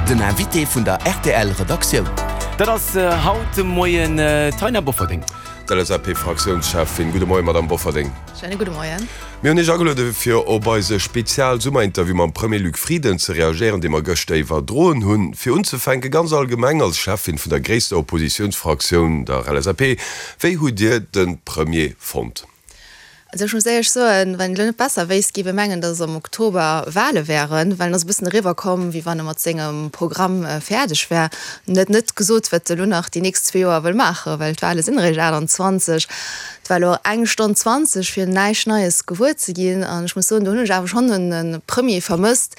Den Invité vun der rtl Redaktioun. Dat ass haut de Moien d'Taina Bofferding. D'LSAP-Fraktiounscheffin. Gudde Moien, Madamm Bofferding. Schéine gudde Moien. Mir hunn Iech ageluede fir op eise Spezial-Summerinterview mam Premier Luc Frieden ze reagéieren, dee mer gëschter iwwerdroen hunn. Fir unzefänke ganz allgemeng, als Cheffin vun der gréisster Oppositiounsfraktioun, der LSAP, wéi hutt Dir de Premier fonnt? Also ech muss éierlech soen, wann een elo net besser wéisst, géif ee mengen, datt am Oktober Wahle wären, well en ass e bëssen eriwwer komm, wéi wann e mat sengem Programm fäerdeg wär. En huet net gesot, wat e lo nach déi nächst zwee Joer wëll maachen, well d'Wahle sinn eréischt 28. Et war elo eng Stonn 20 fir näischt Neies gewuer ze ginn an ech muss soen, do hunn ech awer schonn e Premier vermësst,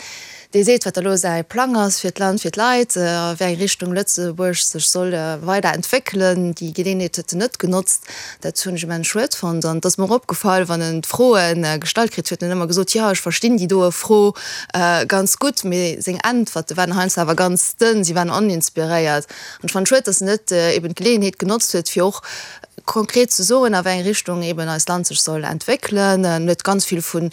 dee seet, wat elo säi Plang ass fir d'Land, fir d'Leit, a wéi eng Richtung Lëtzebuerg sech soll weider entwéckelen. Déi Geleeënheet huet en net genotzt. Dat hunn ech immens schued fonnt. An et ass mer och opgefall, wann en d'Froe gestallt kritt huet, en huet ëmmer gesot, jo, ech verstinn déi doe Fro ganz gutt, mee seng Äntwerte waren heiansdo awer ganz dënn, si waren oninspiréiert. An ech fannen et schued, datt en net eben d'Geleeënheet genotzt huet, fir och konkret ze soen, a wéi eng Richtung eben eist Land sech soll entwéckelen. En huet ganz vill vu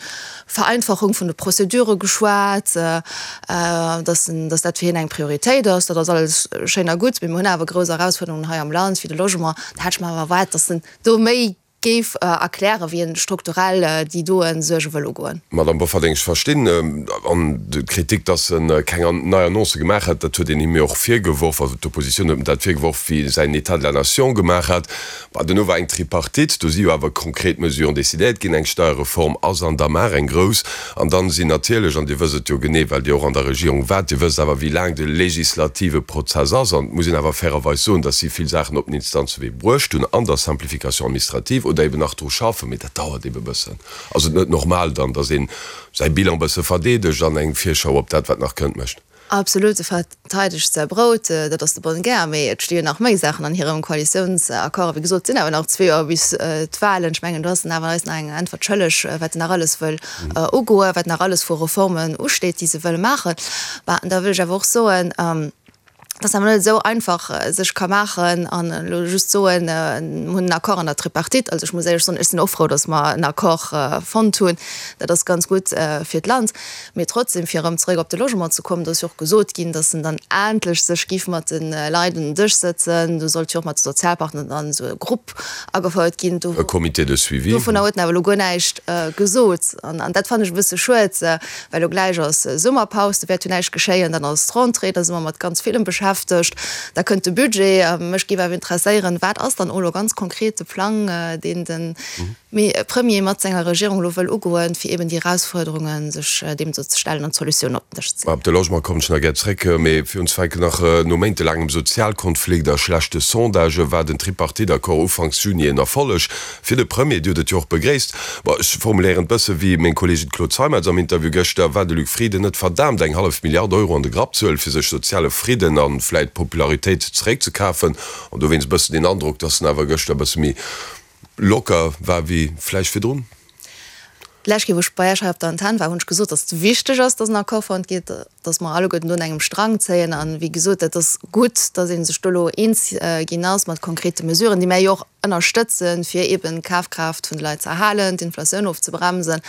Vereinfachung vun de Prozedure geschwat, dass en, dass dat fir hien eng Prioritéit ass. Dat ass alles schéin a gutt, mee mir hunn awer grouss Erausfuerderungen hei am Land, wéi de Logement. Da hätt ech mer awer erwaart, dass en do méi géif erklären, wéi en strukturell déi doen Suerge wëll ugoen. Madame Bofferding, ech verstinn an d'Kritik, dass en keng nei Annoncë gemaach hätt, dat huet een him jo och virgeworf, also d'Oppositioun huet em dat virgeworf, wéi e säin État de la nation gemaach hat. Bah, duerno war eng Tripartite, do si jo awer konkret Mesuren decidéiert ginn. Eng Steierreform ass an der Maach, eng grouss. An dann sinn natierlech, an Dir wësst et jo genee, well Dir och an der Regierung waart, Dir wësst awer, wéi laang de legislative Prozess ass. An et muss een awer fairerweis soen, dass si vill Saachen op den Instanzewee bruecht hunn an der Simplification administrative oder eben nach dru schaffen. Mee dat dauert eben e bëssen. Ass et net normal dann, dass ee säi Bilan e bësse verdeedegt an eng Virschau op dat, wat nach kënnt, mécht? Absolut, e verteidegt säi Brout, dat ass de bonne guerre. Mee et sti jo nach méi Saachen an hirem Koalitiounsaccord. A wéi gesot, et sinn awer nach zwee Joer bis d'Wahlen. Ech mengen, do ass en awer eis nach eng Äntwert schëlleg, wat en nach alles wëll ugoen, wat nach alles vu Reformen usteet, déi se wëlle maachen. Bah, an da wëll ech awer och soen, dass awer net esou einfach sech ka maachen an elo just soen, mir hunn en Accord an der Tripartite. Also ech muss éierlech soen, ech sinn och frou, dass mer en Accord fonnt hunn. Dat ass ganz gutt fir d'Land. Mee trotzdem, fir erëm zeréck op de Logement ze kommen, do ass jo och gesot ginn, dass en dann endlech sech giff mat de Leit un den Dësch sëtzen. Do sollt jo och mat de Sozialpartner dann esou e Grupp agefouert ginn. E Comité de suivi. Dovunner huet en awer elo guer näischt gesot. An dat fannen ech e bësse schued, well elo gläich ass Summerpaus, do wäert jo näischt geschéien. Dann ass d'Rentrée, da si mer mat ganz villem beschäftegt. Da kënnt de Budget. Mech géif awer interesséieren, wat ass dann och elo ganz konkret de Plang, deen de Mee e Premier mat senger Regierung elo wëll ugoen, fir eben déi Erausfuerderunge sech deem ze stellen an Solutiounen op den Dësch ze leeën. Op de Logement kommen ech nach gär zréck, mee fir unzefänken nach, No méintelaangem Sozialkonflikt a schlechte Sondagë war den Tripartite-Accord ufanks Juni en Erfolleg fir de Premier. Dir hutt et jo och begréisst. Bon, ech formuléieren et bësse wéi meng Kolleegin Claude Zeimetz am Interview gëschter, War de Luc Frieden net verdaamt, eng hallef Milliard Euro an de Grapp ze huelen, fir sech soziale Fridden a vläit Popularitéit zeréckzekafen? An dowéinst e bëssen den Androck, datt en awer gëschter e bësse méi locker war wéi vläicht virdrun? D'lescht Kéier, wou ech bei Iech hei op der Antenn war, hunn ech gesot, datt et wichteg ass, datt en Accord fonnt gétt, datt mer alleguerten do un engem Strang zéien. A wéi gesot, dat ass gutt, datt ee sech do elo eens ginn ass mat konkrete Mesuren, déi mär jo och ënnerstëtzen, fir eeben d'Kafkraaft vun de Leit ze erhalen, d'Inflatioun ofzebremsen.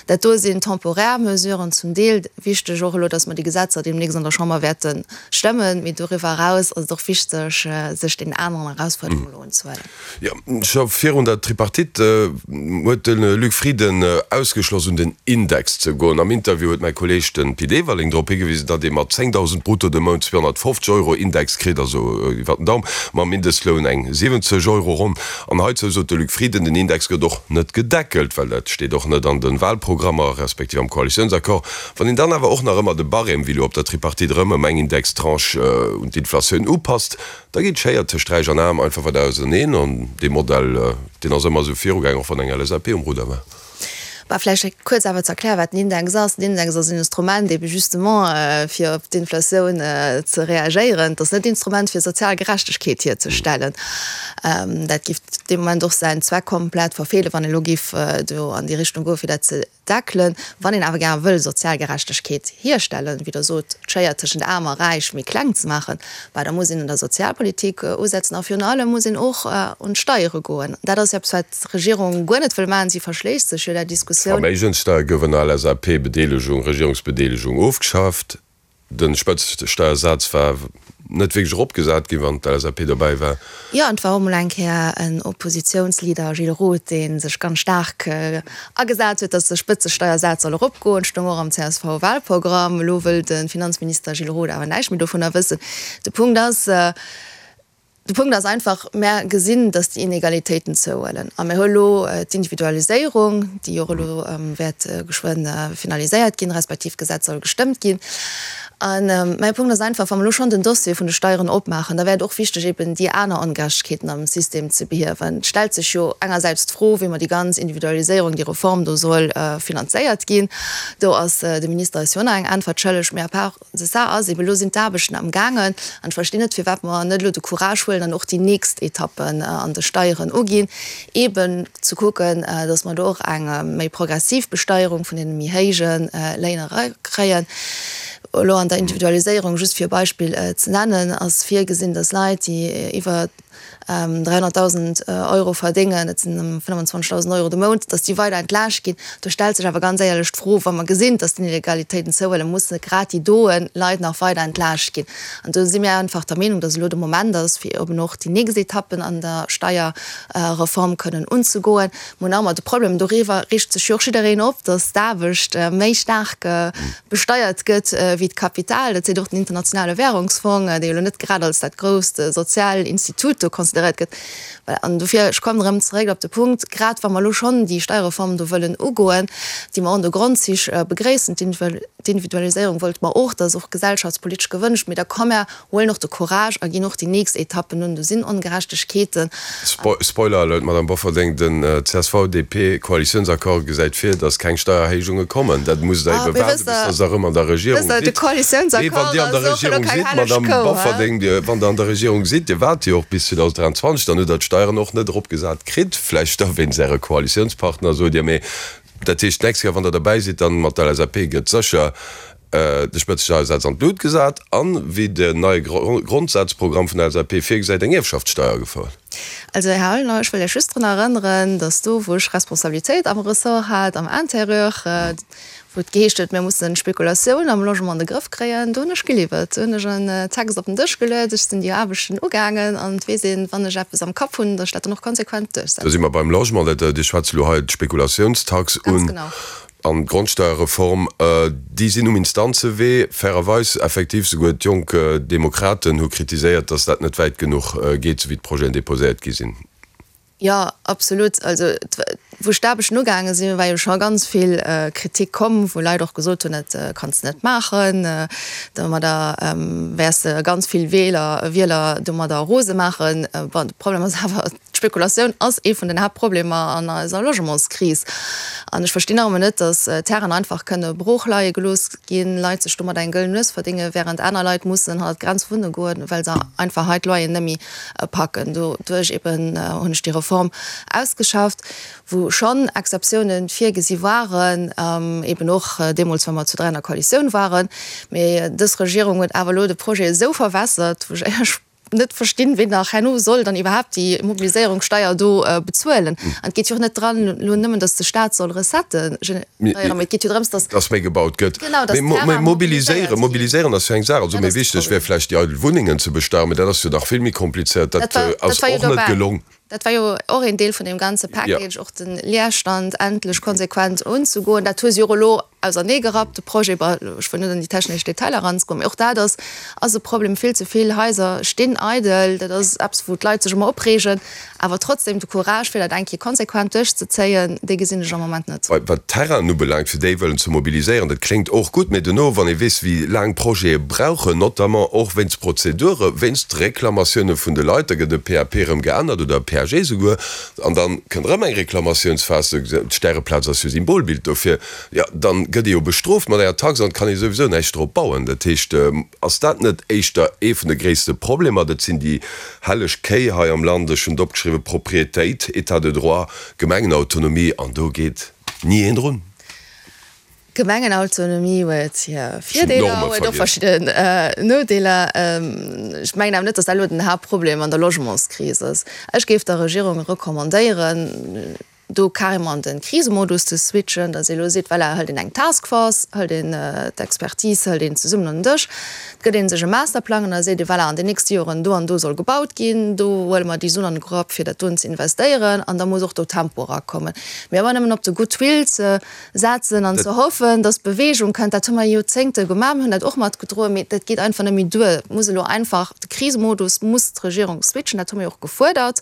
Dat do sinn temporär Mesuren zum Deel. Wichteg och elo, datt mer déi Gesetzer deemnächst an der Chamber wäerte stëmmen. Mee doriwwer eraus ass et och wichteg, sech deenen aneren Erausfuerderungen elo unzehuelen. Jo, scho virun der Tripartite huet de Luc Frieden ausgeschloss un den Index ze goen. Am Interview huet mäi Kolleeg de Pit Everling drop higewisen, datt ee mat 10.000 brutto de Mount 250 Euro Index kritt, also iwwer den Daum, mam Mindestloun eng 70 Euro ronn. An heizou sot de Luc Frieden, den Index gëtt och net gedeckelt, well dat steet och net an de Wahlprogrammer, respektiv am Koalitiounsaccord. Wann een dann awer och nach ëmmer de Barème, wéi elo op der Tripartite, erëm ëm eng Indextranche un d'Inflatioun upasst, Da geet d'Schéier tëscht Räich an Aarm einfach weider auserneen an dee Modell, deen ass ëmmer esou virugaangen, och wann eng LSAP um Rudder war. Bah, vläicht kuerz awer ze erklären, wat den Index ass. Den Index ass en Instrument ebe justement, fir op d'Inflatioun ze reagéieren. Et ass net d'Instrument, fir sozial Gerechtegkeet hierzestellen. Dat géif dee Moment och säin Zweck komplett verfeelen, wann ee elo géif do an déi Richtung goen, fir dat ze Deckelen. Wann een awer gär wëll sozial Gerechtegkeet hierstellen, wéi Der sot, d'Schéier tëschent Aarm a Räich méi kleng ze maachen, bah, da muss een un der Sozialpolitik usetzen a virun allem muss een och un d'Steiere goen. Dat ass eppes, wat d'Regierung guer net wëll maachen. Si verschléisst sech jo där Diskussioun. D'Verméigenssteier gouf ënner LSAP-Bedeelegung, Regierungsbedeelegung ofgeschafft. De Spëtzesteiersaz war net wierklech eropgesat ginn, wann d'LSAP dobäi war. Jo, an et war och emol eng Kéier en Oppositiounsleader, Gilles Roth, dee sech ganz staark agesat huet, datt de Spëtzesteiersaz soll eropgoen. Stoung och am CSV-Wahlprogramm. Elo wëll de Finanzminister Gilles Roth awer näischt méi dovunner wëssen. De Punkt ass, De Punkt ass einfach, Mär gesinn, dass déi Inegalitéiten zouhuelen. A mir hu elo d'Individualiséierung, déi och elo wäert geschwënn finaliséiert ginn, respektiv d'Gesetz soll gestëmmt ginn. A mäi Punkt ass einfach, wa mer elo schonn den Dossier vun de Steieren opmaachen, da wär et och wichteg, eben déi aner Ongerechtegkeeten am System ze behiewen. Et stellt sech jo engersäits d'Fro, wéi mer déi ganz Individualiséierung, déi Reform do soll finanzéiert ginn. Do ass de Minister eis jo och nach eng Äntwert schëlleg. Mee à part De ça ass eben, elo sinn d'Aarbechten am gaangen an ech verstinn net, firwat mer net elo de Courage huelen an och déi nächst Etappen an de Steieren uginn, eben ze kucken, dass mer do och eng méi progressiv Besteierung vun deene méi héije Léin erakréien. Elo an der Individualiséierung, just fir e Beispill ze nennen, ass virgesinn, dass Leit, déi iwwer 300.000 Euro verdéngen, dat sinn ëm 25.000 Euro de Mount, datt déi weider entlaascht ginn. Do stellt sech awer ganz éierlech d'Fro, wa mer gesinn, datt d'Inegalitéiten zouhuelen, musse grad déi doe Leit nach weider entlaascht ginn? An do si mir einfach der Meenung, datt elo de Moment ass, fir eben och déi nächst Etappen an der Steierreform kënnen unzegoen. Mir hunn nach ëmmer de Problem, doriwwer reegt sech jo och jiddereen op, datt d'Aarbecht méi staark besteiert gëtt wéi d'Kapital. Dat seet och den Internationale Währungsfong, dee jo elo net grad als dat grousst sozial Institut do consideréiert gëtt. Voilà, an dofir, ech kommen erëm zeréck op de Punkt, grad wa mer elo schonn déi Steierreform do wëllen ugoen, déi mer och an de Grondzich begréissen, d'Individualiséierung wollte mer och, dat ass och gesellschaftspolitesch gewënscht, mee da komm mer Huelen och de Courage a ginn och déi nächst Etappen un. Do sinn Ongerechtegkeeten. Spoiler Alert, Madame Bofferding, den CSV-DP-Koalitiounsaccord gesäit vir, datt keng Steiererhéijunge kommen. Dat musst Der ebe waarden, bis datt Der erëm an der Regierung sidd. Mee wann Dir an der Regierung sidd, Madame Bofferding, wann Der an der Regierung sidd, Dir waart jo och bis 2023, dann hutt Der d'Steieren och net eropgesat kritt, vläicht da wéinst Äre Koalitiounspartner, sot Dir. Mee dat heescht, d'nächst Kéier, wann Der derbäi sidd, dann mat der LSAP gëtt sécher De Spëtzesteiersaz an d'Lut gesat an, wéi den neie Grondsazprogramm vun der LSAP virgesäit, eng Ierfschaftssteier agefouert. Also, Här Aulner, ech wëll Iech just drun erënneren, datt do, wou ech Responsabilitéit am Ressort hat, am Intérieur, wou et geheescht huet, mir mussen d'Spekulatioun am Logement an de Grëff kréien, do hunn ech geliwwert. Do hunn ech en Text op den Dësch geluet, ech sinn déi Aarbechten ugaangen an et weess een, wann ech eppes am Kapp hunn, datt ech dat dann och konsequent duerchsetzen. Do si mer beim Logement. Dat, Dir schwätzt elo hei d'Spekulationstax un. Ganz genau. An d'Grondsteierreform, déi sinn um Instanzewee. Fairerweis, effektiv, souguer d'Jonk Demokraten hu kritiséiert, datt dat net wäit genuch geet, sou wéi d'Projeten deposéiert gi sinn. Jo, absolut. Also, wou ech d'Aarbechten ugaange sinn, war jo scho ganz vill Kritik komm, wou Leit och gesot hunn, dat kanns de net maachen, domadder wäers de ganz vill Wieler, Wieler domadder rose maachen. Bon, de Problem ass awer, D'Spekulatioun ass ee vun den Haaptproblemer an eiser Logementskris. An ech verstinn nach ëmmer net, datt Terrainen einfach kënne brooch leie gelooss ginn, Leit sech domat eng gëllen Nues verdéngen, wärend aner Leit mussen hannert d'Grenz wunne goen, well se einfach hei d'Loyeren net méi packen. Doduerch eben hunn ech déi Reform ausgeschafft, wou schonn Exceptiounen virgesi waren, eben och deemools, wa mer zu 3 an der Koalitioun waren. Mee dës Regierung huet awer elo de Projet esou verwässert, wou ech éierlech net verstinn, ween nach herno soll dann iwwerhaapt déi Mobiliséierungssteier do bezuelen. An et geet jo och net dran elo nëmmen, datt de Staat soll Recettë generéieren, mee et geet jo drëms, datt. Datt méi gebaut gëtt. Genau, datt Mee Terrain mobiliséiert ginn. Mobiliséieren ass jo eng Saach. Also méi wichteg wär vläicht déi eidel Wunnengen ze besteieren, mee dat ass jo nach vill méi komplizéiert. Dat ass och net gelong. Dat war jo och een Deel vun deem ganze Package, och de Leerstand endlech konsequent unzegoen. Dat hu si och elo auserneegerappt, de Projet. Bon, ech wëll net an déi technesch Detailer eranzegoen, mee och dat ass ass e Problem. Vill ze vill Haiser stinn eidel. Dat ass eppes, wou d'Leit sech ëmmer opreegen. Awer trotzdem, de Courage, fir dat eng Kéier konsequent duerchzezéien, dee gesinn ech am Moment net. Wat d'Terrainen ubelaangt, fir déi wëllen ze mobiliséieren, dat kléngt och gutt, mee duerno, wann ee weess, wéi laang Projete brauchen, notamment och wéinst Prozedure, wéinst Reklamatioune vun de Leit, da gëtt e PAP erëm geännert oder e PAG esouguer, an da kënnt erëm eng Reklamatiounsphas, d'Stäreplaz ass jo Symbolbild dofir, jo, da gëtt ee jo bestrooft mat enger Tax an et kann ee souwisou näischt drop bauen. Dat heescht, ass dat net éischter ee vun de gréisste Problemer? Dat sinn déi helleg Kéi hei am Land, ech hunn et opgeschriwwen, Propriétéit, État de droit, Gemengenautonomie, an do geet ni een drun. Gemengenautonomie huet hir Virdeeler, huet och verschidden Nodeeler. Ech mengen awer net, datt dat elo den Haaptproblem an der Logementskris ass. Ech géif der Regierung recommandéieren. do carrément an de Krisemodus ze switchen, datt ee elo seet, voilà, hëlt een eng Task Force, hëlt een d'Expertise, hëlt een zesummen un den Dësch, et gëtt ee sech e Masterplang an da seet ee, voilà, an den nächste Joren do an do soll gebaut ginn, do huele mer déi Suen an de Grapp fir dat doen ze investéieren an da muss och do Tempo erakommen. Mee ëmmer nëmmen op de Goodwill ze setzen an ze hoffen, datt Beweegung kënnt, dat hu mer Joerzéngte gemaach, mir hunn dat och matgedroen, mee dat geet einfach net méi duer. Et muss elo einfach, de Krisemodus muss d'Regierung switchen, dat hu mir jo och gefuerdert.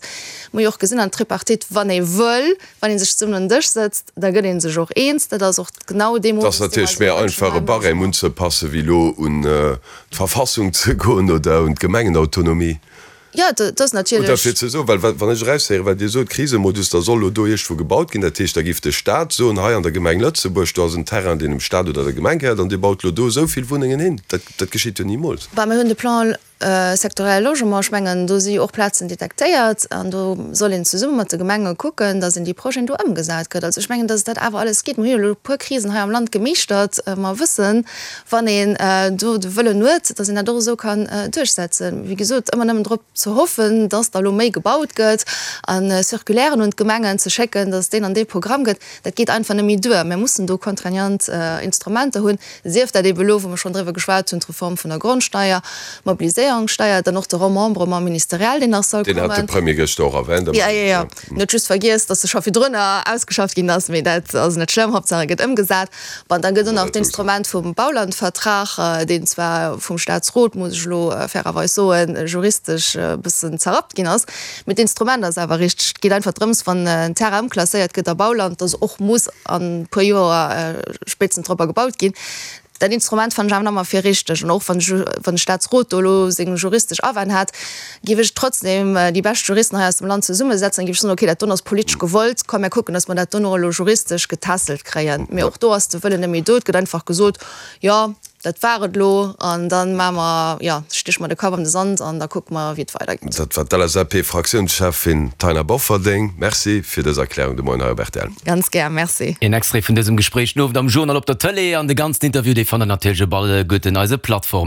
Mir hu jo och gesinn an der Tripartite, wann ee wëll, wann ee sech zesummen un den Dësch sëtzt, da gëtt ee sech och eens. Dat ass och genau dee Modus, dee mer eis och wënschen. Et ass natierlech méi einfach, e Barème unzepassen, wéi elo un d'Verfassung ze goen oder un d'Gemengenautonomie. Jo, dat ass natierlech. Oder fir ze soen, well wann ech eraushéieren, wat Dir sot, Krisemodus, da soll elo do iergendwou gebaut ginn, dat heescht, da géif de Stat soen, hei an der Gemeng Lëtzebuerg, do ass en Terrain, deen dem Stat oder der Gemeng gehéiert, an Dir baut elo do esou vill Wunnengen hin. Dat, dat geschitt jo nimools. Bah, mir hunn de Plan sectoriel Logement, ech mengen, do si jo och Plazen detektéiert an do soll een zesumme mat de Gemenge kucken, datt een déi Projeten do ëmgesat kritt. Also ech mengen, datt dat awer alles geet. Mir hu jo elo e puer Krisen hei am Land gemeeschtert. Mer wëssen, wann een do de Wëllen huet, datt een dat och esou kann duerchsetzen. Wéi gesot, ëmmer nëmmen drop ze hoffen, datt da elo méi gebaut gëtt a Circulairen un d'Gemengen ze schécken, datt deen an dee Programm gëtt, dat geet einfach net méi duer. Mir mussen do contraignant Instrumenter hunn, sief dat ebe elo, wou mer schonn driwwer geschwat hunn, d'Reform vun der Grondsteier, d'Mobiliséierungssteier, dann och de Remembrement ministériel, deen nach soll kommen. Deen hat de Premier gëschter och erwänt. Jo, jo, jo. En huet just vergiess, datt e scho virdrunner ausgeschafft ginn ass, mee dat ass net schlëmm, Haaptsaach e gëtt ëmgesat. Bon, da gëtt och nach d'Instrument vum Baulandvertrag, deen zwar vum Staatsrot, muss ech elo fairerweis soen, juristesch e bëssen zerrappt ginn ass, mee d'Instrument ass awer richteg. Et geet einfach drëms, wann en Terrain ëmklasséiert gëtt a Bauland, datt och muss an e puer Joer spéitstens dorobber gebaut ginn. Dat Instrument fannen ech awer nach ëmmer fir richteg. An och wann wann de Staatsrot do elo seng juristesch Awänn hat, géif ech trotzdem déi bescht Juristen hei aus dem Land zesummesetzen an géif ech soen, okay, dat don ass politesch gewollt, komm mir kucken, datt mer dat dono elo juristesch getässelt kréien. Mee och do ass de Wëllen net méi do. Et gëtt einfach gesot, jo, dat war et elo an da maache mer, jo, stéche mer de Kapp an de Sand an da kucke mer, wéi et weidergeet. Dat war d'LSAP-Fraktiounscheffin Taina Bofferding. Merci fir dës Erklärung de Moien hei op rtl. Ganz gär, merci. Een Extrait vun dësem Gespréich den Owend am Journal op der Tëlee an de ganzen Interview dee fannt der natierlech op alleguerten eise Plattformen.